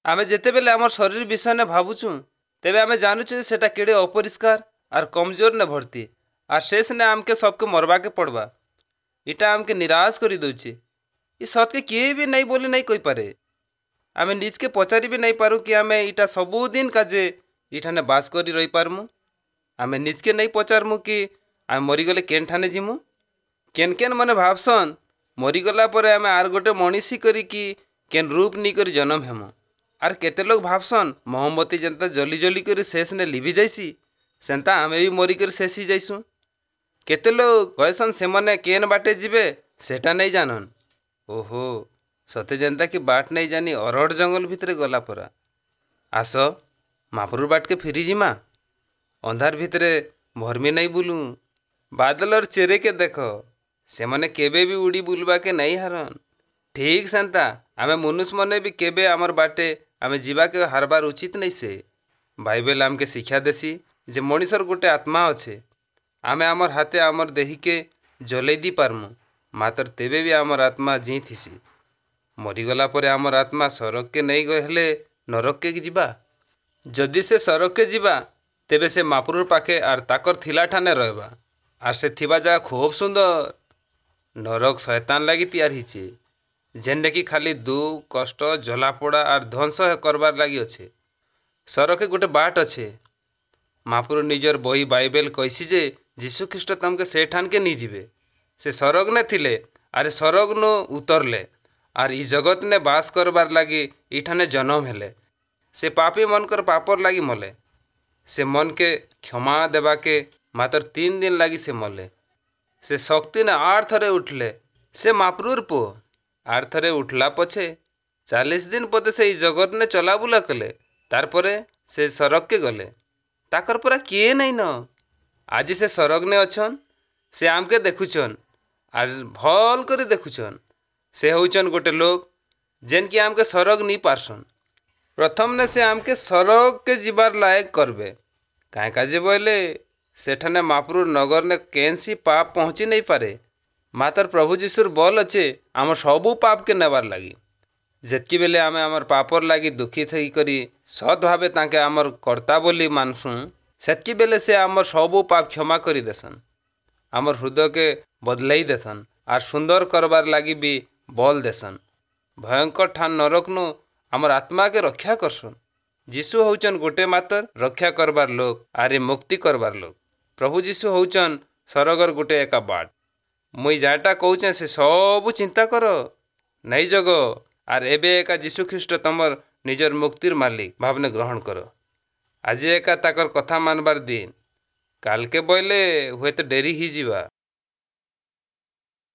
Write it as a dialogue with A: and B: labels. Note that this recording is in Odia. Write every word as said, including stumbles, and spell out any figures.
A: ଆମେ ଯେତେବେଲେ ଆମର ଶରୀର ବିଷୟନେ ଭାବୁଛୁଁ, ତେବେ ଆମେ ଜାନୁଛୁ ଯେ ସେଟା କେଡ଼େ ଅପରିଷ୍କାର ଆର୍ କମଜୋର ନେ ଭର୍ତ୍ତି, ଆର୍ ଶେଷନେ ଆମକେ ସବକେ ମରବାକେ ପଡ଼ବା। ଇଟା ଆମକେ ନିରାଶ କରି ଦଉଛେ। ଇ ସତ୍କେ କିଏ ବି ନାଇଁ ବୋଲି ନାଇଁ କହିପାରେ। ଆମେ ନିଜକେ ପଚାରି ବି ନାଇଁ ପାରୁ କି ଆମେ ଇଟା ସବୁଦିନ କାଜେ ଇଠାନେ ବାସ କରି ରହିପାରମୁ। ଆମେ ନିଜକେ ନାଇଁ ପଚାରମୁ କି ଆମେ ମରିଗଲେ କେନ୍ ଠାନେ ଯିମୁ। କେନ୍ କେନ୍ ମାନେ ଭାବସନ୍ ମରିଗଲା ପରେ ଆମେ ଆର୍ ଗୋଟେ ମଣିଷି କରିକି କେନ୍ ରୂପ ନେଇକରି ଜନମ ହେମୁ। ଆର୍ କେତେ ଲୋକ ଭାବସନ୍ ମହମବତୀ ଯେନ୍ତା ଜଲି ଜଲି କରି ଶେଷନେ ଲିଭି ଯାଏସି, ସେନ୍ତା ଆମେ ବି ମରିକରି ଶେଷ ହେଇଯାଏସୁଁ। କେତେ ଲୋକ କହେସନ୍ ସେମାନେ କେନ୍ ବାଟେ ଯିବେ ସେଟା ନାଇଁ ଜାନନ୍। ଓହୋ, ସତେ ଯେନ୍ତା କି ବାଟ ନାଇଁ ଜାନି ଅରଡ଼ ଜଙ୍ଗଲ ଭିତରେ ଗଲା ପରା। ଆସ ମାପୁରୁର ବାଟକେ ଫିରି ଯିମା। ଅନ୍ଧାର ଭିତରେ ଭରମି ନାଇଁ ବୁଲୁ। ବାଦଲର ଚେରେକେ ଦେଖ, ସେମାନେ କେବେ ବି ଉଡ଼ି ବୁଲବାକେ ନାଇଁ ହାରନ୍। ଠିକ୍ ସେନ୍ତା ଆମେ ମନୁଷ ମନେ ବି କେବେ ଆମର୍ ବାଟେ ଆମେ ଯିବାକେ ହାରବାର ଉଚିତ ନାଇଁ ସେ। ବାଇବେଲ ଆମକେ ଶିକ୍ଷା ଦେସି ଯେ ମଣିଷର ଗୋଟେ ଆତ୍ମା ଅଛେ। ଆମେ ଆମର୍ ହାତେ ଆମର୍ ଦେହିକେ ଜଲେଇ ଦି ପାରମୁ, ମାତ୍ର ତେବେ ବି ଆମର୍ ଆତ୍ମା ଜିଇଁ ଥିସି। ମରିଗଲା ପରେ ଆମର୍ ଆତ୍ମା ସରଗକେ ନେଇ ହେଲେ ନରକକେ ଯିବା। ଯଦି ସେ ସରଗକେ ଯିବା, ତେବେ ସେ ମାପୁରୁର ପାଖେ ଆର୍ ତାକର ଥିଲା ଠାନେ ରହେବା, ଆର୍ ସେ ଥିବା ଜାଗା ଖୁବ୍ ସୁନ୍ଦର। ନରକ ଶୟତାନ ଲାଗି ତିଆରି ହେଇଛେ, ଯେନ୍ଟାକି ଖାଲି ଦୁଃଖ, କଷ୍ଟ, ଜଲାପୋଡ଼ା ଆର୍ ଧ୍ୱଂସ କରବାର୍ ଲାଗି ଅଛେ। ସରଗକେ ଗୋଟେ ବାଟ ଅଛେ। ମାପୁରୁ ନିଜର ବହି ବାଇବେଲ କହିସି ଯେ ଯୀଶୁ ଖ୍ରୀଷ୍ଟ ତମକେ ସେ ଠାନକେ ନେଇଯିବେ। ସେ ସରଗ ନେ ଥିଲେ, ଆରେ ସରଗ ନୁ ଉତରଲେ ଆର୍ ଇ ଜଗତ ନେ ବାସ କରବାର୍ ଲାଗି ଇଠାନେ ଜନମ ହେଲେ। ସେ ପାପୀ ମନକର ପାପର ଲାଗି ମଲେ। ସେ ମନକେ କ୍ଷମା ଦେବାକେ ମାତ୍ର ତିନ ଦିନ ଲାଗି ସେ ମଲେ। ସେ ଶକ୍ତି ନେ ଆର୍ ଥରେ ଉଠଲେ। ସେ ମାପୁରୁର ପୁଅ। ଆର୍ ଥରେ ଉଠଲା ପଛେ ଚାଳିଶ ଦିନ ପତେ ସେ ଇ ଜଗତ ନେ ଚଲାବୁଲା କଲେ। ତାର୍ ପରେ ସେ ସରଗକେ ଗଲେ। ତାକର ପରା କିଏ ନାଇଁ ନ। ଆଜି ସେ ସରଗ ନେ ଅଛନ୍। ସେ ଆମକେ ଦେଖୁଛନ୍ ଆର୍ ଭଲ୍ କରି ଦେଖୁଛନ୍। ସେ ହଉଛନ୍ ଗୋଟେ ଲୋକ ଯେନ୍କି ଆମକେ ସରଗ ନି ପାରସନ୍। ପ୍ରଥମନେ ସେ ଆମକେ ସରଗକେ ଯିବାର ଲାୟକ କରବେ। କାଏଁ କାଜେ ବୋଇଲେ ସେଠାନେ ମାପୁରୁର ନଗରନେ କେନ୍ସି ପାପ ପହଞ୍ଚି ନାଇଁ ପାରେ। ମାତର ପ୍ରଭୁ ଯୀଶୁର ବଲ ଅଛେ ଆମର ସବୁ ପାପକେ ନେବାର୍ ଲାଗି। ଯେତ୍କି ବେଲେ ଆମେ ଆମର୍ ପାପର ଲାଗି ଦୁଃଖିତ ହେଇକରି ସତ୍ ଭାବେ ତାଙ୍କେ ଆମର୍ କର୍ତ୍ତା ବୋଲି ମାନସୁଁ, ସେତ୍କି ବେଲେ ସେ ଆମର୍ ସବୁ ପାପ କ୍ଷମା କରି ଦେସନ୍, ଆମର୍ ହୃଦୟକେ ବଦଲେଇ ଦେସନ୍ ଆର୍ ସୁନ୍ଦର କରବାର୍ ଲାଗି ବି ବଲ୍ ଦେସନ୍। ଭୟଙ୍କର ଠାନ୍ ନରକନୁ ଆମର୍ ଆତ୍ମାକେ ରକ୍ଷା କରସନ୍। ଯୀଶୁ ହଉଛନ୍ ଗୋଟେ ମାତର ରକ୍ଷା କରବାର୍ ଲୋକ ଆରେ ମୁକ୍ତି କରବାର୍ ଲୋକ। ପ୍ରଭୁ ଯୀଶୁ ହଉଛନ୍ ସରଗର ଗୋଟେ ଏକା ବାଟ। ମୁଇଁ ଯାହାଟା କହୁଛେଁ ସେ ସବୁ ଚିନ୍ତା କର, ନାଇଁ ଜଗ, ଆର୍ ଏବେ ଏକା ଯୀଶୁ ଖ୍ରୀଷ୍ଟ ତମର ନିଜର ମୁକ୍ତିର ମାଲିକ ଭାବନେ ଗ୍ରହଣ କର। ଆଜି ଏକା ତାକର କଥା ମାନବାର ଦିନ। କାଲକେ ବଇଲେ ହୁଏତ ଡେରି ହେଇଯିବା।